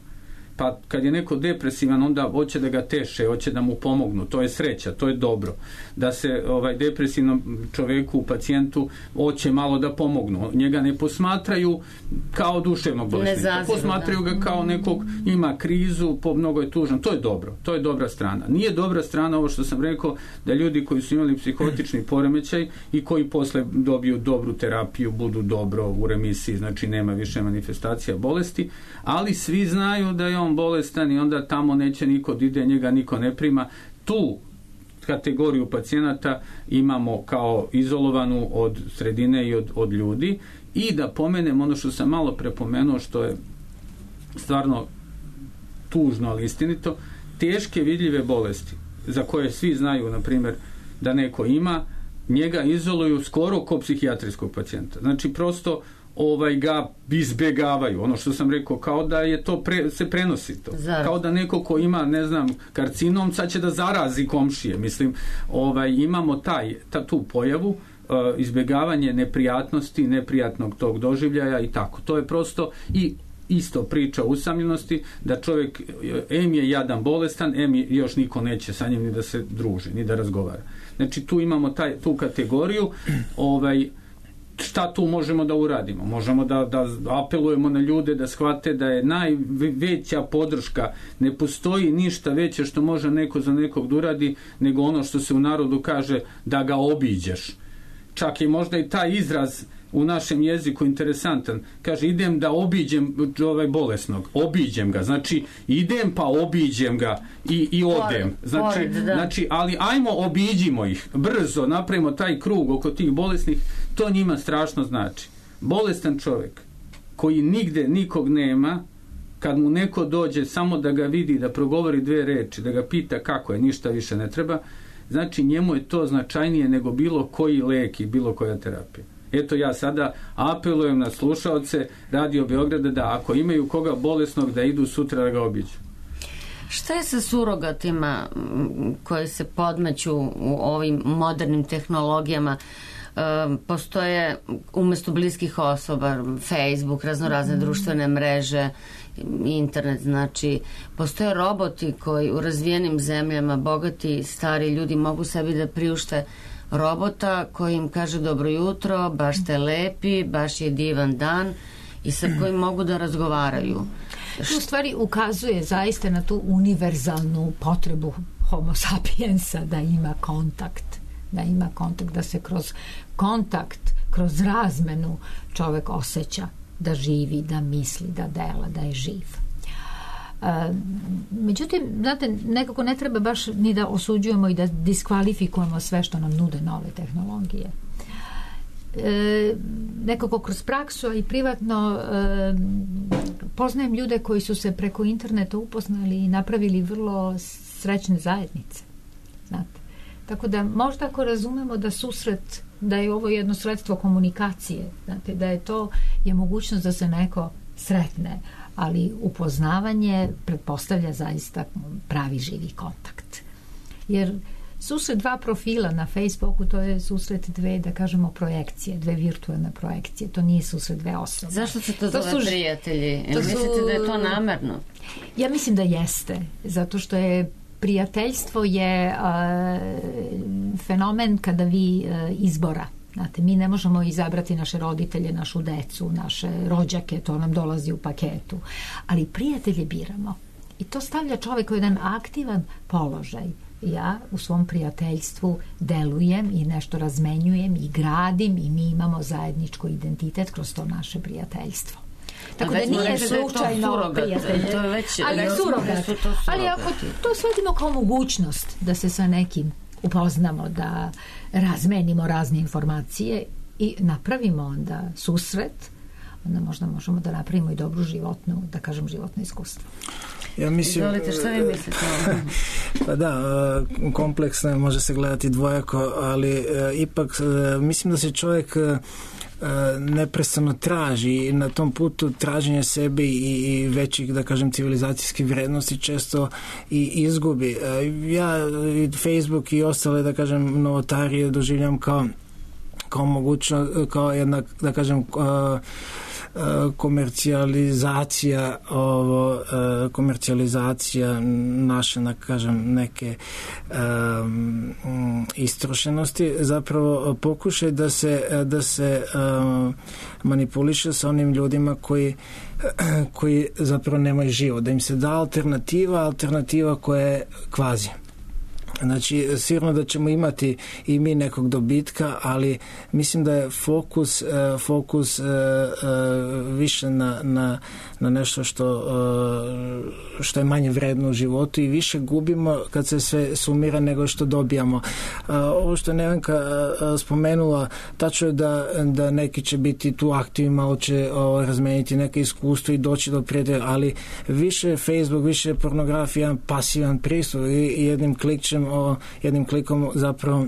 Pa kad je neko depresivan, onda hoće da ga teše, hoće da mu pomognu, to je sreća, to je dobro. Da se ovaj depresivnom čoveku, pacijentu, hoće malo da pomognu. Njega ne posmatraju kao duševnog bolesnika, posmatraju ga kao nekog, ima krizu, po mnogo je tužan, to je dobro, to je dobra strana. Nije dobra strana ovo što sam rekao, da ljudi koji su imali psihotični poremećaj i koji posle dobiju dobru terapiju, budu dobro u remisiji, znači nema više manifestacija bolesti, ali svi znaju da je on bolestan i onda tamo neće niko da ide, njega niko ne prima. Tu kategoriju pacijenata imamo kao izolovanu od sredine i od, od ljudi. I da pomenem ono što sam malo prepomenuo, što je stvarno tužno, ali istinito, teške vidljive bolesti za koje svi znaju, na primjer, da neko ima, njega izoluju skoro kao psihijatrijskog pacijenta. Znači prosto ovaj ga izbjegavaju, ono što sam rekao, kao da je to pre, se prenosi to. Zaraz. Kao da neko ko ima, ne znam, karcinom, sad će da zarazi komšije. Mislim, ovaj, imamo taj, ta, tu pojavu, uh, izbjegavanje neprijatnosti, neprijatnog tog doživljaja i tako. To je prosto i isto priča o usamljenosti, da čovjek em je jadan bolestan, em je, još niko neće sa njim ni da se druži, ni da razgovara. Znači, tu imamo taj, tu kategoriju, ovaj, šta tu možemo da uradimo? Možemo da, da apelujemo na ljude da shvate da je najveća podrška, ne postoji ništa veće što može neko za nekog da uradi, nego ono što se u narodu kaže da ga obiđeš. Čak i možda i taj izraz u našem jeziku interesantan. Kaže, idem da obiđem ovaj bolesnog. Obiđem ga. Znači, idem pa obiđem ga i, i odem. Znači, Pored, da. znači, ali ajmo obiđimo ih. Brzo napravimo taj krug oko tih bolesnih. To njima strašno znači. Bolestan čovjek koji nigde nikog nema, kad mu neko dođe samo da ga vidi, da progovori dve reči, da ga pita kako je, ništa više ne treba, znači njemu je to značajnije nego bilo koji lek i bilo koja terapija. Eto, ja sada apelujem na slušaoce Radio Beograda da ako imaju koga bolesnog da idu sutra da ga obiđu. Šta je sa surogatima koji se podmeću u ovim modernim tehnologijama? E, postoje umjesto bliskih osoba Facebook, raznorazne društvene mreže, internet, znači postoje roboti koji u razvijenim zemljama, bogati stari ljudi mogu sebi da priušte robota koji im kaže dobro jutro, baš ste lepi, baš je divan dan i sa kojim mogu da razgovaraju. To u stvari ukazuje zaista na tu univerzalnu potrebu homo sapiensa da ima kontakt, da ima kontakt, da se kroz kontakt, kroz razmenu čovjek osjeća da živi, da misli, da dela, da je živ. E, međutim, znate, nekako ne treba baš ni da osuđujemo i da diskvalifikujemo sve što nam nude nove tehnologije. E, nekako kroz praksu i privatno e, poznajem ljude koji su se preko interneta upoznali i napravili vrlo srećne zajednice. Znate. Tako da možda ako razumemo da susret, da je ovo jedno sredstvo komunikacije, znate, da je to je mogućnost da se neko sretne, ali upoznavanje pretpostavlja zaista pravi živi kontakt. Jer susret dva profila na Facebooku, to je susret dve, da kažemo, projekcije, dve virtualne projekcije, to nije susret dve osobe. Zašto se to, to zove su, prijatelji? To Mislite su, da je to namerno? Ja mislim da jeste, zato što je prijateljstvo je uh, fenomen kada vi uh, izbora. Znate, mi ne možemo izabrati naše roditelje, našu decu, naše rođake, to nam dolazi u paketu. Ali prijatelje biramo. I to stavlja čovjek u jedan aktivan položaj. Ja u svom prijateljstvu delujem i nešto razmenjujem i gradim i mi imamo zajedničko identitet kroz to naše prijateljstvo. Tako da nije slučajno prijatelje. To je već, ali surogat. Ali ako to svedimo kao mogućnost da se sa nekim upoznamo, da razmenimo razne informacije i napravimo onda susret, onda možda možemo da napravimo i dobru životnu, da kažem, životno iskustvo. Ja mislim, izvolite, šta vi mislite? Pa da, kompleksno može se gledati dvojako, ali ipak mislim da se čovjek neprestano traži i na tom putu traženja sebe i većih, da kažem, civilizacijskih vrednosti često i izgubi. Ja Facebook i ostale, da kažem, novotarije doživljam kao kao mogućno, kao jedna, da kažem, komercijalizacija ovo, komercijalizacija naše, da kažem, neke um, istrošenosti, zapravo pokušaj da se, da se um, manipuliše sa onim ljudima koji koji zapravo nemaju život, da im se da alternativa, alternativa koja je kvazi. Znači, sigurno da ćemo imati i mi nekog dobitka, ali mislim da je fokus, uh, fokus uh, uh, više na, na, na nešto što, uh, što je manje vredno u životu i više gubimo kad se sve sumira nego što dobijamo. Uh, ovo što je Nevenka uh, spomenula, tačno je da, da neki će biti tu aktivni, malo će uh, razmeniti neke iskustvo i doći do prijatelja, ali više Facebook, više pornografija, jedan pasivan pristup i, i jednim klikćem O, jednim klikom zapravo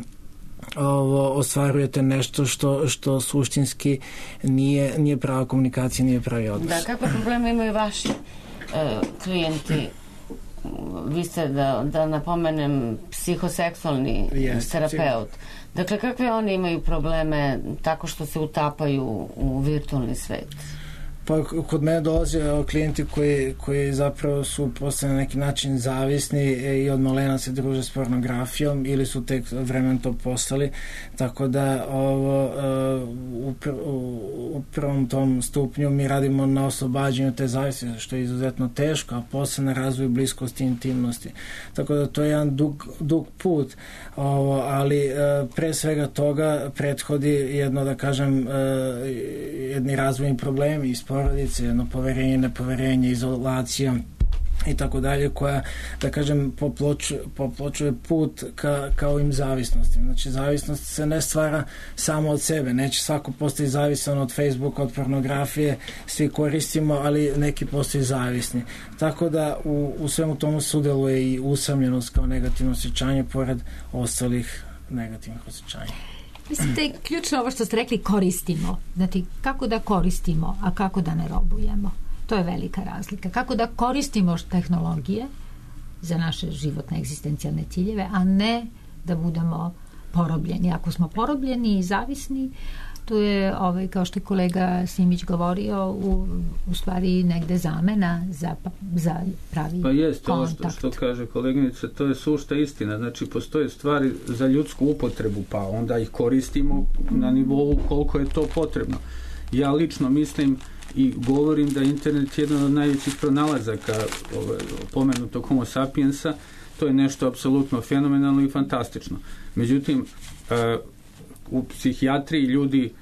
ovo, ostvarujete nešto što, što suštinski nije, nije prava komunikacija, nije pravi odnos. Da, kakve probleme imaju vaši e, klijenti? Vi ste, da, da napomenem, psihoseksualni yes, terapeut. Dakle, kakve oni imaju probleme tako što se utapaju u virtualni svet? Pa kod mene dolaze klijenti koji, koji zapravo su postali na neki način zavisni i od malena se druže s pornografijom ili su tek vremen to postali, tako da ovo, u, pr, u prvom tom stupnju mi radimo na oslobađanju te zavisnosti, što je izuzetno teško, a posle na razvoju bliskosti i intimnosti. Tako da to je jedan dug, dug put, ovo, ali pre svega toga prethodi jedno, da kažem, jedni razvojni problemi iz porodice, jedno poverenje, nepoverenje, izolacija i tako dalje, koja, da kažem, popločuje, popločuje put ka, ka ovim zavisnostima. Znači, zavisnost se ne stvara samo od sebe. Neće svako postati zavisan od Facebooka, od pornografije, svi koristimo, ali neki postaju zavisni. Tako da u, u svemu tomu sudeluje i usamljenost kao negativno osjećanje, pored ostalih negativnih osjećanja. Mislim da je ključno ovo što ste rekli, koristimo. Znači, kako da koristimo, a kako da ne robujemo. To je velika razlika. Kako da koristimo tehnologije za naše životne egzistencijalne ciljeve, a ne da budemo porobljeni. Ako smo porobljeni i zavisni, to je, ovaj, kao što je kolega Simić govorio, u, u stvari negde zamena za, za pravi pa jest, kontakt. Pa što, što kaže koleginica, to je sušta istina. Znači, postoje stvari za ljudsku upotrebu, pa onda ih koristimo na nivou koliko je to potrebno. Ja lično mislim i govorim da internet je jedan od najvećih pronalazaka ovaj, pomenutog homo sapiensa. To je nešto apsolutno fenomenalno i fantastično. Međutim, uh, u psihijatriji ljudi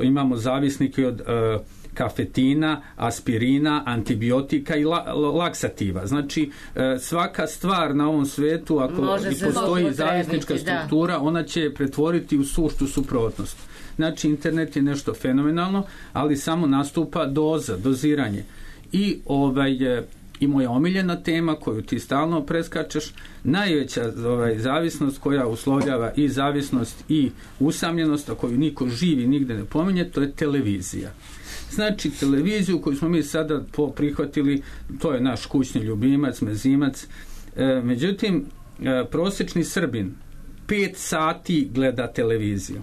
imamo zavisnike od uh, kafetina, aspirina, antibiotika i la, laksativa. Znači, uh, svaka stvar na ovom svetu, ako postoji zavisnička struktura, da. Ona će je pretvoriti u suštu suprotnost. Znači, internet je nešto fenomenalno, ali samo nastupa doza, doziranje. I ovaj i moja omiljena tema koju ti stalno preskačeš, najveća ovaj, zavisnost koja uslovljava i zavisnost i usamljenost, a koju niko živi nigde ne pominje, to je televizija. Znači, televiziju koju smo mi sada prihvatili, to je naš kućni ljubimac, mezimac. E, međutim, e, prosječni Srbin pet sati gleda televiziju.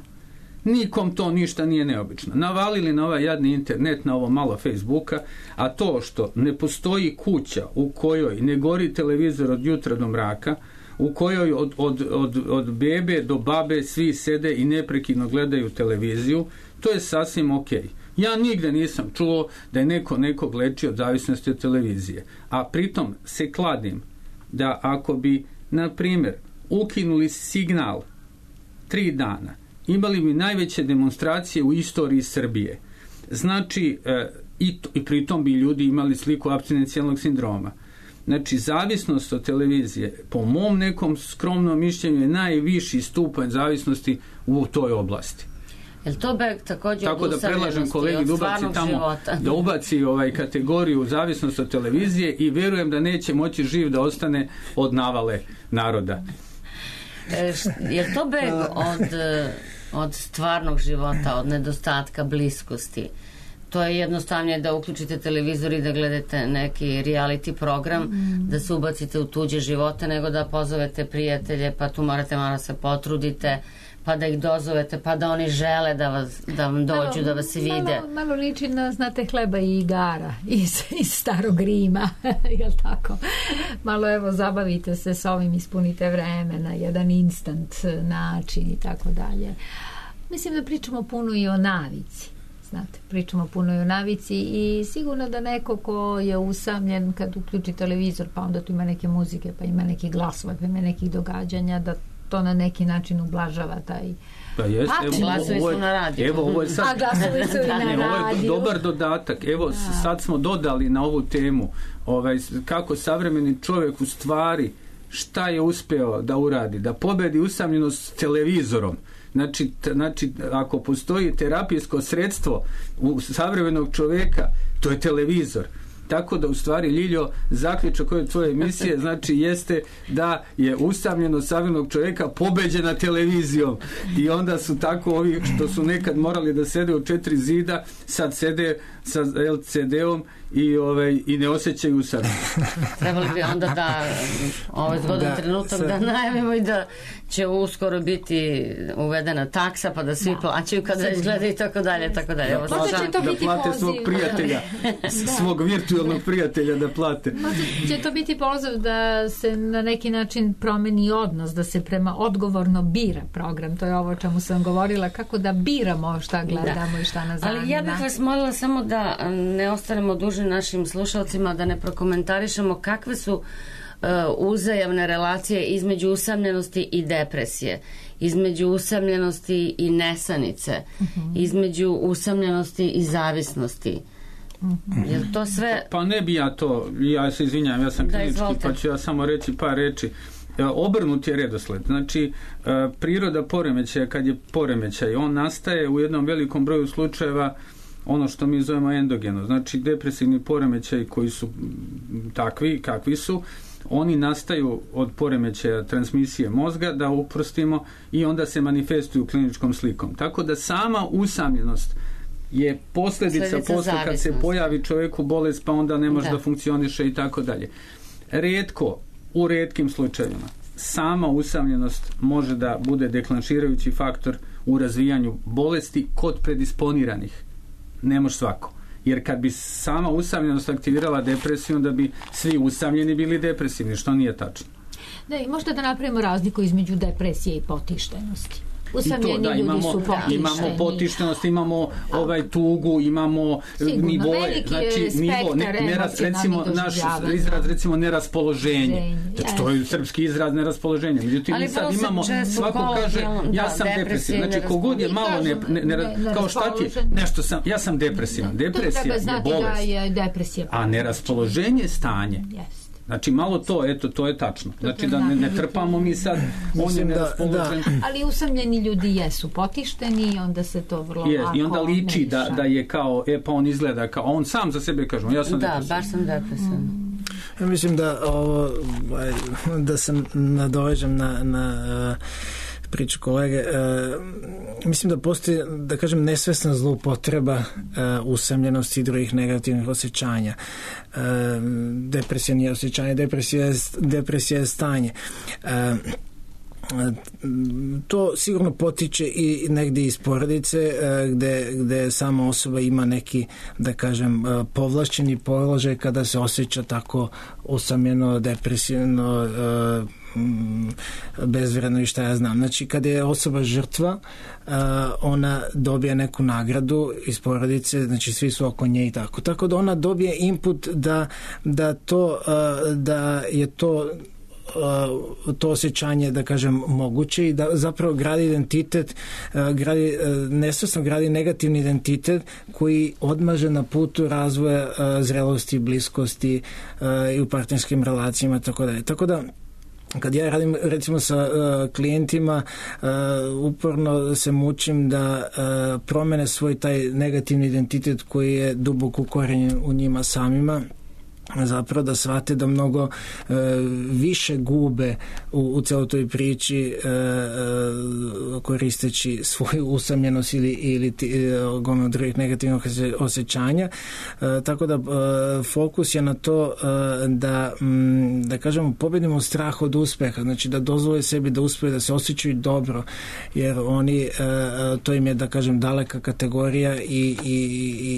Nikom to ništa nije neobično. Navalili na ovaj jadni internet, na ovo malo Facebooka, a to što ne postoji kuća u kojoj ne gori televizor od jutra do mraka, u kojoj od, od, od, od bebe do babe svi sede i neprekidno gledaju televiziju, to je sasvim okej. Ja nigde nisam čuo da je neko nekog leči od zavisnosti od televizije. A pritom se kladim da ako bi, na primjer, ukinuli signal tri dana, imali bi najveće demonstracije u istoriji Srbije. Znači, e, i, to, i pritom bi ljudi imali sliku apstinencijalnog sindroma. Znači, zavisnost od televizije, po mom nekom skromnom mišljenju, je najviši stupanj zavisnosti u toj oblasti. Jel to beg također tako da predlažem kolegi da ubaci tamo života. Da ubaci ovaj kategoriju zavisnost od televizije i vjerujem da neće moći živ da ostane od navale naroda. E, je to beg od, od stvarnog života, od nedostatka bliskosti? To je jednostavnije da uključite televizor i da gledate neki reality program, mm. da se ubacite u tuđe živote, nego da pozovete prijatelje, pa tu morate malo se potrudite, pa da ih dozovete, pa da oni žele da, vas, da vam dođu, malo, da vas vide. Malo, malo liči na, znate, Hleba i igara iz, iz starog Rima, jel tako? Malo, evo, zabavite se s ovim, ispunite vreme na jedan instant način i tako dalje. Mislim da pričamo puno i o navici. Znate, pričamo puno i o navici i sigurno da neko ko je usamljen kad uključi televizor, pa onda tu ima neke muzike, pa ima neki glasova, pa ima nekih događanja, da to na neki način ublažava taj pa jest, evo, glasovi su na radiju. Evo, ovo je sad, a glasovi su i na radiju. Ovo je dobar dodatak. Evo, da. Sad smo dodali na ovu temu ovaj, kako savremeni čovjek u stvari šta je uspeo da uradi, da pobedi usamljenost s televizorom. Znači, t, znači, ako postoji terapijsko sredstvo u savremenog čovjeka, to je televizor. Tako da u stvari, Ljiljo, zaključak ove tvoje emisije znači jeste da je usamljenost savremenog čovjeka pobeđena televizijom i onda su tako ovi što su nekad morali da sede u četiri zida, sad sede sa el ce de-om i, ovaj, i ne osjećaju usamljenost. Trebali bi onda da ovaj zgodan da, trenutak sad... da najavimo i da će uskoro biti uvedena taksa pa da svi da. plaćaju kada izgleda i tako dalje, tako dalje. Da, plate, da plate svog prijatelja, svog virtualnog prijatelja da plate. Možda će to biti poziv da se na neki način promeni odnos, da se prema odgovorno bira program. To je ovo o čemu sam govorila, kako da biramo šta gledamo da. i šta nas zanima. Ali ja bih vas molila samo da ne ostanemo dužni našim slušalcima, da ne prokomentarišemo kakve su uh, uzajamne relacije između usamljenosti i depresije, između usamljenosti i nesanice, uh-huh. između usamljenosti i zavisnosti. Uh-huh. Jel to sve... Pa ne bi ja to, ja se izvinjam, ja sam klinički, pa ću ja samo reći par reči. Obrnut je redosled. Znači, priroda poremećaja, kad je poremećaj, on nastaje u jednom velikom broju slučajeva ono što mi zovemo endogeno. Znači, depresivni poremećaji koji su takvi, kakvi su, oni nastaju od poremećaja transmisije mozga, da uprostimo, i onda se manifestuju kliničkom slikom. Tako da sama usamljenost je posljedica posle kad se pojavi čovjeku bolest, pa onda ne može da, da funkcioniše i tako dalje. Rijetko, u rijetkim slučajevima, sama usamljenost može da bude deklanširajući faktor u razvijanju bolesti kod predisponiranih. Ne može svako. Jer kad bi sama usamljenost aktivirala depresiju, onda bi svi usamljeni bili depresivni, što nije tačno. Da, i možda da napravimo razliku između depresije i potištenosti. Usamljeni to, da, ljudi imamo, su potišteni. Imamo potištenost, imamo ovaj tugu, imamo sigurno, nivoje, znači nivo, ne, neraz, recimo naš izraz, recimo neraspoloženje. Znači, to je srpski izraz neraspoloženje. Međutim, mi sad imamo, svako kaže, ja sam depresivan. Znači, kogod je malo ne, ne, ne, ne, kao šta ti je, nešto sam, ja sam depresivan. Depresija je bolest. Je depresija. A neraspoloženje je stanje. Yes. Znači, malo to, eto, to je tačno. Znači, da ne, ne trpamo mi sad, on je neraspoložen. Ali usamljeni ljudi jesu potišteni i onda se to vrlo yes, lako i onda liči da, da je kao, e, pa on izgleda kao, on sam za sebe kaže, ja sam da, depresivan. Da, baš sam depresivan. Mm. Ja mislim da ovo, da se nadovežem na, na priču kolege, e, mislim da postoji, da kažem, nesvesna zloupotreba e, usamljenosti i drugih negativnih osjećanja. E, depresija nije osjećanje, depresija je, depresija je stanje. E, to sigurno potiče i negdje iz porodice gde, gde sama osoba ima neki, da kažem, povlašćeni položaj kada se osjeća tako usamljeno, depresivno, bezvredno i šta ja znam. Znači, kada je osoba žrtva, ona dobije neku nagradu iz porodice, znači svi su oko nje i tako. Tako da ona dobije input da, da to, da je to to osjećanje, da kažem, moguće i da zapravo gradi identitet, gradi, nesvesno gradi negativni identitet koji odmaže na putu razvoja zrelosti, bliskosti i u partnerskim relacijama, tako da je. Tako da kad ja radim recimo sa uh, klijentima, uh, uporno se mučim da uh, promene svoj taj negativni identitet koji je duboko ukorenjen u njima samima, zapravo da shvate da mnogo e, više gube u, u celoj toj priči e, e, koristeći svoju usamljenost ili, ili gomno drugih negativnih osjećanja. E, tako da e, fokus je na to e, da, m, da kažemo, pobedimo strah od uspeha, znači da dozvole sebi da uspeju, da se osjećaju dobro, jer oni, e, to im je, da kažem, daleka kategorija i, i,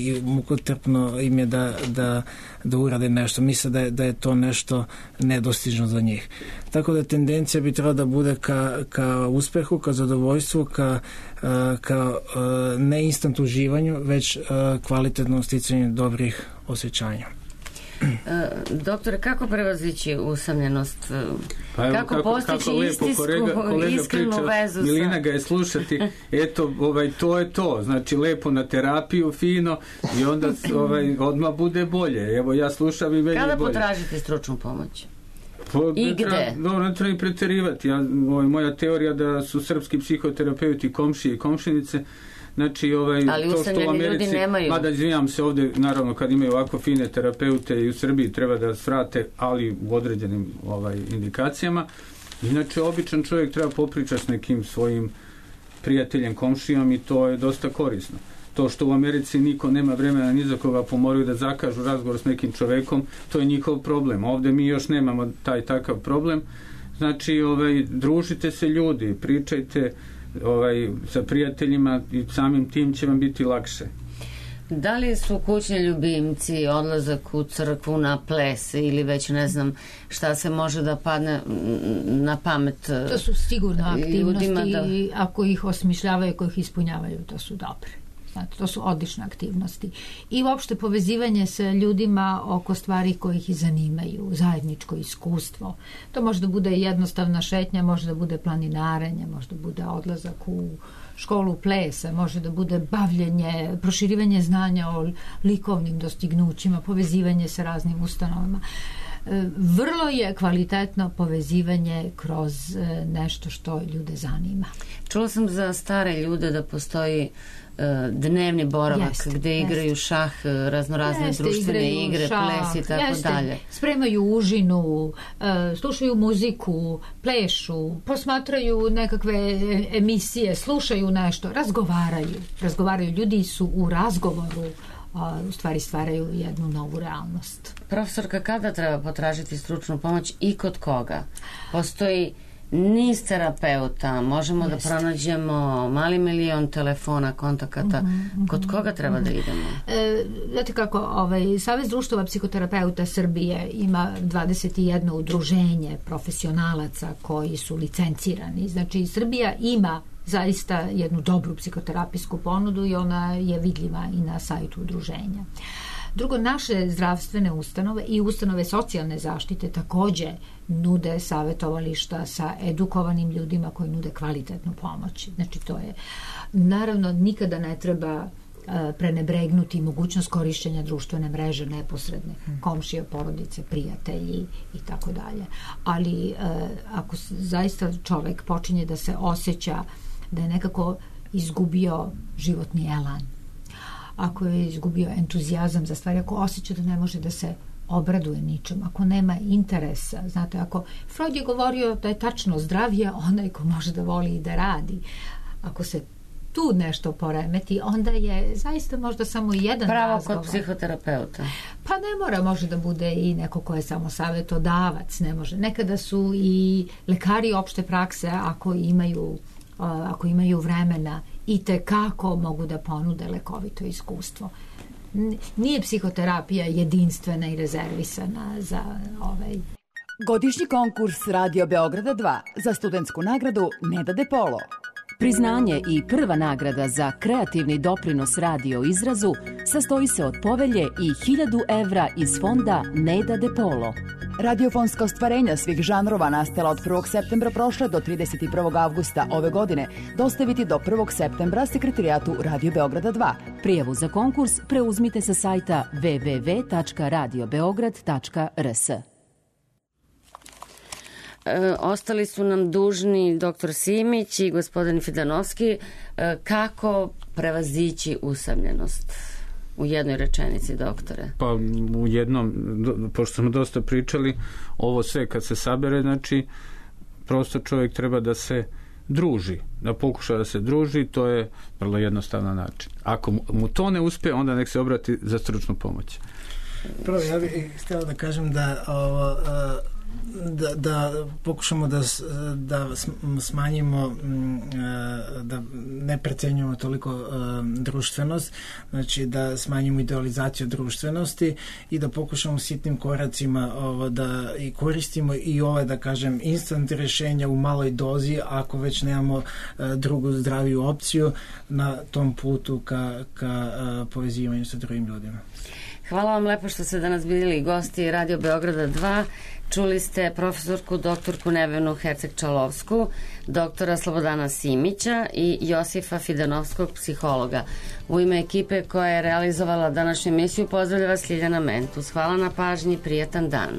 i mukotrpno im je da, da, da urade nešto. Misle da je, da je to nešto nedostižno za njih. Tako da tendencija bi trebala da bude ka, ka uspehu, ka zadovoljstvu, ka, ka ne instant uživanju, već kvalitetno sticanju dobrih osjećanja. Doktore, kako prevazići usamljenost? Pa evo, kako, kako postići kako istinsku, kolega, kolega iskrenu priča, vezu? Milina ga je slušati, eto, ovaj, to je to, znači lepo na terapiju, fino, i onda ovaj, odmah bude bolje. Evo, ja slušam i meni Kada je bolje. Kada potražite stručnu pomoć? Pa, I gde? Treba, dobro, ne treba i preterivati. Ja, ovaj, moja teorija da su srpski psihoterapeuti komšije i komšinice. Znači, ovaj, ali to što u Americi, mada izvinjam se ovdje, naravno, kad imaju ovako fine terapeute i u Srbiji treba da svrate, ali u određenim ovaj, indikacijama. Inače, običan čovjek treba popričati s nekim svojim prijateljem, komšijom, i to je dosta korisno. To što u Americi niko nema vremena ni za koga, pa moraju da zakažu razgovor s nekim čovekom, to je njihov problem. Ovde mi još nemamo taj takav problem. Znači, ovaj, družite se ljudi, pričajte ovaj, sa prijateljima i samim tim će vam biti lakše. Da li su kućni ljubimci, odlazak u crkvu, na ples ili već ne znam šta se može da padne na pamet? To su sigurno aktivnosti, da... ako ih osmišljavaju, ako ih ispunjavaju, to su dobre. Znate, to su odlične aktivnosti. I uopšte povezivanje sa ljudima oko stvari koje ih zanimaju, zajedničko iskustvo. To može da bude jednostavna šetnja, može da bude planinarenje, može da bude odlazak u školu plesa, može da bude bavljenje, proširivanje znanja o likovnim dostignućima, povezivanje sa raznim ustanovama. Vrlo je kvalitetno povezivanje kroz nešto što ljude zanima. Čula sam za stare ljude da postoji dnevni boravak jeste, gde igraju jeste. šah, raznorazne jeste, društvene igre, šah, ples i tako jeste. dalje. Spremaju užinu, slušaju muziku, plešu, posmatraju nekakve emisije, slušaju nešto, razgovaraju. Razgovaraju. Ljudi su u razgovoru, a u stvari stvaraju jednu novu realnost. Profesorka, kada treba potražiti stručnu pomoć i kod koga? Postoji niz terapeuta, možemo Jeste. da pronađemo mali milion telefona, kontakata. Mm-hmm, kod koga treba mm-hmm. da idemo? E, znate kako, ovaj, Savez društava psihoterapeuta Srbije ima dvadeset jedno udruženje profesionalaca koji su licencirani. Znači, Srbija ima zaista jednu dobru psihoterapijsku ponudu i ona je vidljiva i na sajtu udruženja. Drugo, naše zdravstvene ustanove i ustanove socijalne zaštite takođe nude savjetovališta sa edukovanim ljudima koji nude kvalitetnu pomoć. Znači, to je, naravno, nikada ne treba prenebregnuti mogućnost korišćenja društvene mreže neposredne, komšije, porodice, prijatelji i tako dalje. Ali ako zaista čovek počinje da se osjeća da je nekako izgubio životni elan, ako je izgubio entuzijazam za stvari, ako osjeća da ne može da se obraduje ničem, ako nema interesa, znate, ako Freud je govorio da je tačno zdrav je onaj ko može da voli i da radi. Ako se tu nešto poremeti, onda je zaista možda samo jedan pravo razgovor. Kod psihoterapeuta. Pa ne mora, može da bude i neko ko je samo savjetodavac, ne može. Nekada su i lekari opšte prakse, ako imaju ako imaju vremena, i te kako mogu da ponude lekovito iskustvo. Nije psihoterapija jedinstvena i rezervisana za ovaj... Godišnji konkurs Radio Beograda dva za studentsku nagradu Neda De Polo. Priznanje i prva nagrada za kreativni doprinos radio izrazu sastoji se od povelje i hiljadu evra iz fonda Neda De Polo. Radiofonska ostvarenja svih žanrova nastala od prvog septembra prošle do trideset prvog avgusta ove godine dostaviti do prvog septembra sekretarijatu Radio Beograda dva. Prijavu za konkurs preuzmite sa sajta w w w tačka radio beograd tačka r s. E, ostali su nam dužni doktor Simić i gospodin Fidanovski. E, kako prevazići usamljenost? U jednoj rečenici, doktore. Pa u jednom, pošto smo dosta pričali, ovo sve kad se sabere, znači prosto čovjek treba da se druži, da pokuša da se druži, to je vrlo jednostavan način. Ako mu to ne uspe, onda nek se obrati za stručnu pomoć. Prvo, ja bih htjela da kažem da ovo, da, da pokušamo da, da smanjimo, da ne precenjujemo toliko društvenost, znači da smanjimo idealizaciju društvenosti i da pokušamo sitnim koracima ovo, da i koristimo i ove, da kažem, instant rješenja u maloj dozi, ako već nemamo drugu zdraviju opciju na tom putu ka, ka povezivanju sa drugim ljudima. Hvala vam lepo što ste danas bili gosti Radio Beograda dva. Čuli ste profesorku doktorku Nevenu Herceg-Čalovsku, doktora Slobodana Simića i Josifa Fidanovskog, psihologa. U ime ekipe koja je realizovala današnju emisiju pozdravlja vas Ljiljana Mentus. Hvala na pažnji, prijatan dan.